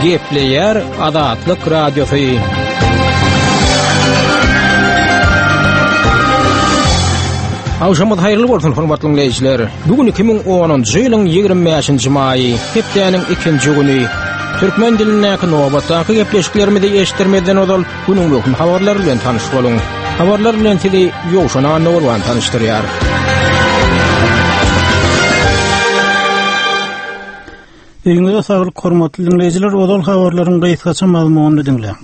Gepleýär Azatlyk Radiosy. Agşamyňyz haýyrly bolsun, hormatly diňleýjiler. Bu gün 2010-njy ýylyň 25-nji maýy, hepdäniň ikinji güni. Türkmen dilindäki nobatdaky gepleşiklerimizi eşitdirmezden ozal günüň möhüm habarlary bilen tanyş boluň. Habarlar bilen sizi Ýowşan Annagurban tanyşdyrýar. Öýüňize saglyk hormatly diňleýjiler, ozal habarlaryň gysgaça mazmunyny diňläň.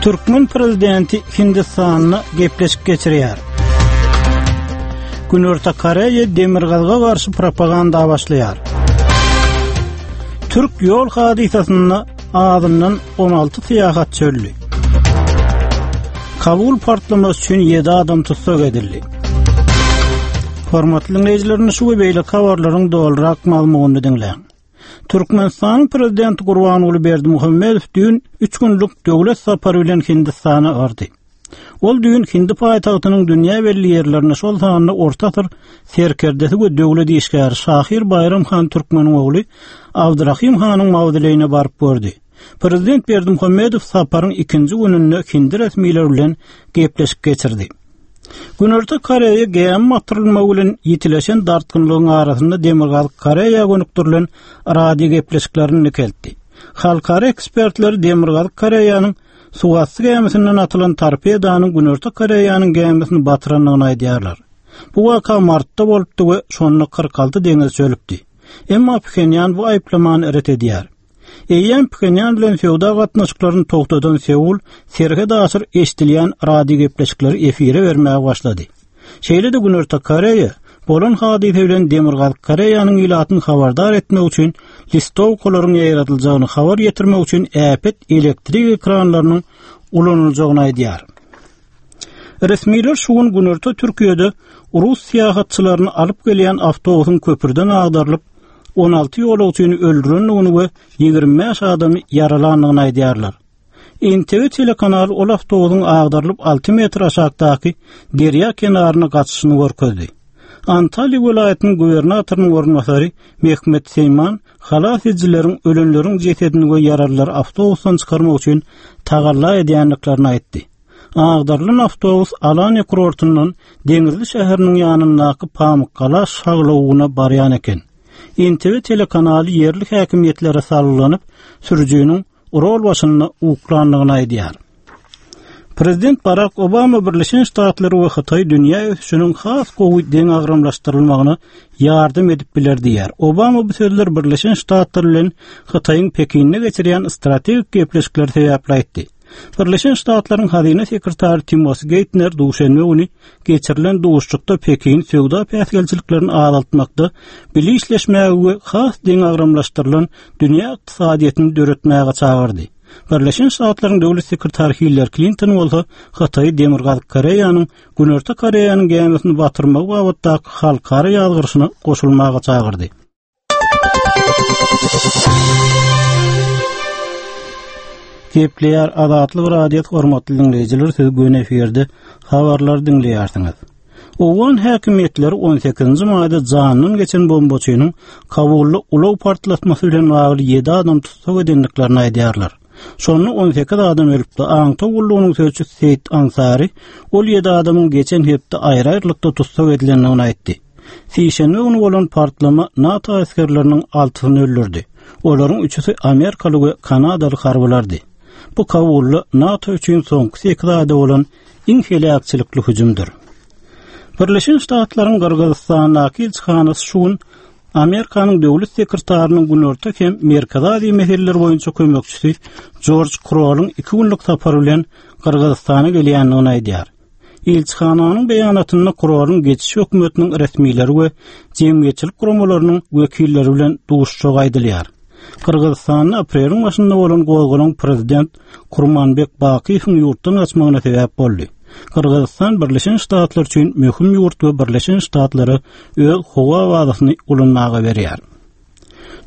Türkmen prezidenti Hindistanda gepleşik geçirýär. Günorta Koreýa demirgazyga garşy propaganda başlaýar. Türk ýol hadysasynda azyndan 16 syýahatçy öldi. Kabul partlamasy üçin 7 adam tussag edildi. Hormatly diňleýjilerimiz şu we beýleki habarlaryň dolurak mazmunyny diňläň. Türkmenistanyň prezidenti Gurbanguly Berdimuhamedow düýn 3 günlük döwlet sapary bilen Hindistana bardy. Ol düýn hindi paýtagtynyň dünýä belli ýerlerine, şol sanda orta asyr serkerdesi we döwlet işgäri şahyr Baýram han Türkmeniň ogly Abdyrahym hanyň mawzoleýine baryp gördi. Prezident Berdimuhamedow saparyň ikinji gününde hindi resmileri bilen gepleşik geçirdi. Günorta Koreýa gämi batyrylmagy bilen ýitileşen dartgynlygyň arasynda Demirgazyk Koreýa gönükdirilen radio gepleşiklerini dikeltdi. Halkara ekspertler Demirgazyk Koreýanyň Suwasty gämisinden atylan torpedanyň Günorta Koreýanyň gämisini batyrandygyny aýdýarlar. Bu waka martda bolupdy we şonda 46 deňizçi ölüpdi. Emma Phenýan bu aýyplamany ret edýär. Eýýäm Phenýan bilen söwda gatnaşyklaryny togtadan Seul serhet aşyr eşidilýän radiogepleşikleri efire bermäge başlady. Şeýle-de Günorta Koreýa bolan hadysa bilen Demirgazyk Koreýanyň ilatyny habardar etmek üçin listowkalaryň ýaýradyljagyny habar ýetirmek üçin äpet elektrik ekranlarynyň ulanyljagyny aýdýar. Resmiler şu gün Günorta Türkiýede rus syýahatçylaryny alyp gelýän awtobusyň köprüden agdarylyp, 16 ýolagçyny öldürendigini we 25 adamy ýaralandygyny aýdýarlar. NTV telekanaly ol awtobusyň agdarylyp 6 metr aşakdaky derýa kenaryna gaçyşyny görkezdi. Antalýa welaýatynyň gubernatorynyň orunbasary Mehmet Seýman halas edijileriň ölenleriň jesedini we ýaralylary awtobusdan çykarmak üçin tagalla edýändiklerini aýtdy. Agdarylan awtobus Alaniýa kurortyndan Deňizli şäheriniň ýanyndaky Pamykgala şaglawugyna barýan eken. NTV telekanaly ýerli häkimiýetlere salgylanyp, sürüjiniň rol başynda uklandygyny aýdýar. Prezident Barak Obama Birleşen Ştatlary we Hytaý dünýä ösüşiniň has gowy deňagramlaşdyrylmagyna ýardam edip biler diýýär. Obama bu sözleri Birleşen Ştatlar bilen Hytaýyň Pekinde geçirýän strategik gepleşikleri sebäpli aýtdy. Birleşen Ştatlaryň hazyna sekretary Timos Geýtner duşenbe güni geçirilen duşuşykda Pekin söwda päsgelçiliklerini azaltmakda bile işleşmäge we has deňagramlaşdyrylan dünýä ykdysadyýetini döretmäge çagyrdy. Birleşen Ştatlaryň döwlet sekretary Hillari Klinton bolsa Hytaýy Demirgazyk Koreýanyň Günorta Koreýanyň gämisini batyrmagy babatdaky halkara ýazgyryşyna goşulmaga çagyrdy. Gepleýär Azatlyk Radiosy hormatly diňleýjiler siz göni efirde habarlary diňleýärsiňiz. Owgan häkimiýetleri 18-nji maýda janyndan geçen bombaçynyň Kabulda ulag partlatmasy bilen bagly 7 adam tussag edendiklerini aýdýarlar. Şonda 18 adam ölüpdi. Aňtaw gullugynyň sözçüsi Seýit Ansary ol 7 adamyň geçen hepde aýry-aýrylykda tussag edilendigini aýtdy. Sişenbe güni bolan partlama NATO esgerleriniň altysyny öldürdi. Olaryň üçüsi amerikaly we kanadaly harbylardy. Bu Kabulda NATO üçin soňky sekiz aýda bolan iň heläkçilikli hüjümdir. Birleşen Ştatlaryň Gyrgyzystandaky ilçihanasy şu gün Amerikanyň döwlet sekretarynyň Günorta hem Merkezi Aziýa meseleleri boýunça kömekçisi Jorj Krolyň iki günlük sapar bilen Gyrgyzystana gelýändigini aýdýar. Ilçihananyň beýanatynda Krolyň geçiş hökümetiniň resmileri we jemgyýetçilik guramalarynyň wekilleri bilen duşuşjagy aýdylýar. Gyrgyzystanda apreliň başynda bolan gozgalaň prezident Kurmanbek Bakyýewiň ýurtdan gaçmagyna sebäp boldy. Gyrgyzystan Birleşen Ştatlar üçin möhüm ýurt we Birleşen Ştatlara öz howa bazasyny ulanmaga berýär.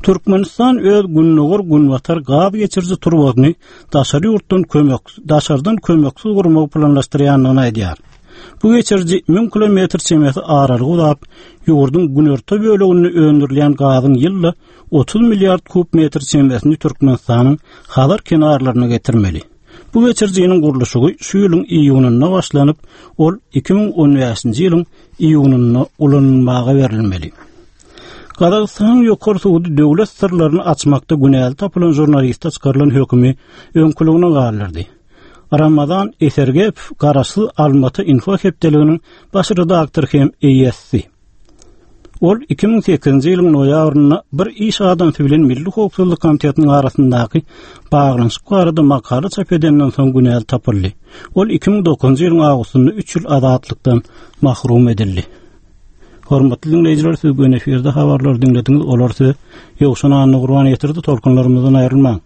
Türkmenistan öz gündogar-günbatar gaz geçiriji turbasyny daşary ýurtdan kömek, daşardan kömeksiz gurmagy planlaşdyrýandygyny aýdýar. Bu geçiriji 1000 kilometr çemesi aralygy uzap, ýurduň günorta böleginde öndürilýän gazyň ýylda 30 milliard kub metr çemesini Türkmenistanyň Hazar kenarlaryna getirmeli. Bu geçirijiniň gurluşygy şu ýylyň iýunynda başlanyp, ol 2015-nji ýylyň iýunynda ulanylmaga berilmeli. Gazagystanyň ýokary sudy döwlet syrlaryny açmakda günäli tapylan žurnaliste çykarylan hökümi öňküligine galdyrdy. Ramazan Esergepow garaşsyz Almaty Info hepdeliginiň baş redaktory hem eýesi. Ol 2008-nji ýylyň noýabrynda bir iş adamsy bilen Milli howpsuzlyk komitetiniň arasyndaky baglanyşyk barada makala çap edenden soň günäli tapyldy. Ol 2009-njy ýylyň awgustynda üç ýyl azatlykdan mahrum edildi. Hormatly diňleýjiler, siz göni efirde habarlary diňlediňiz. Olar size Ýowşan Annagurban ýetirdi. Tolkunlarymyzdan aýrylmaň.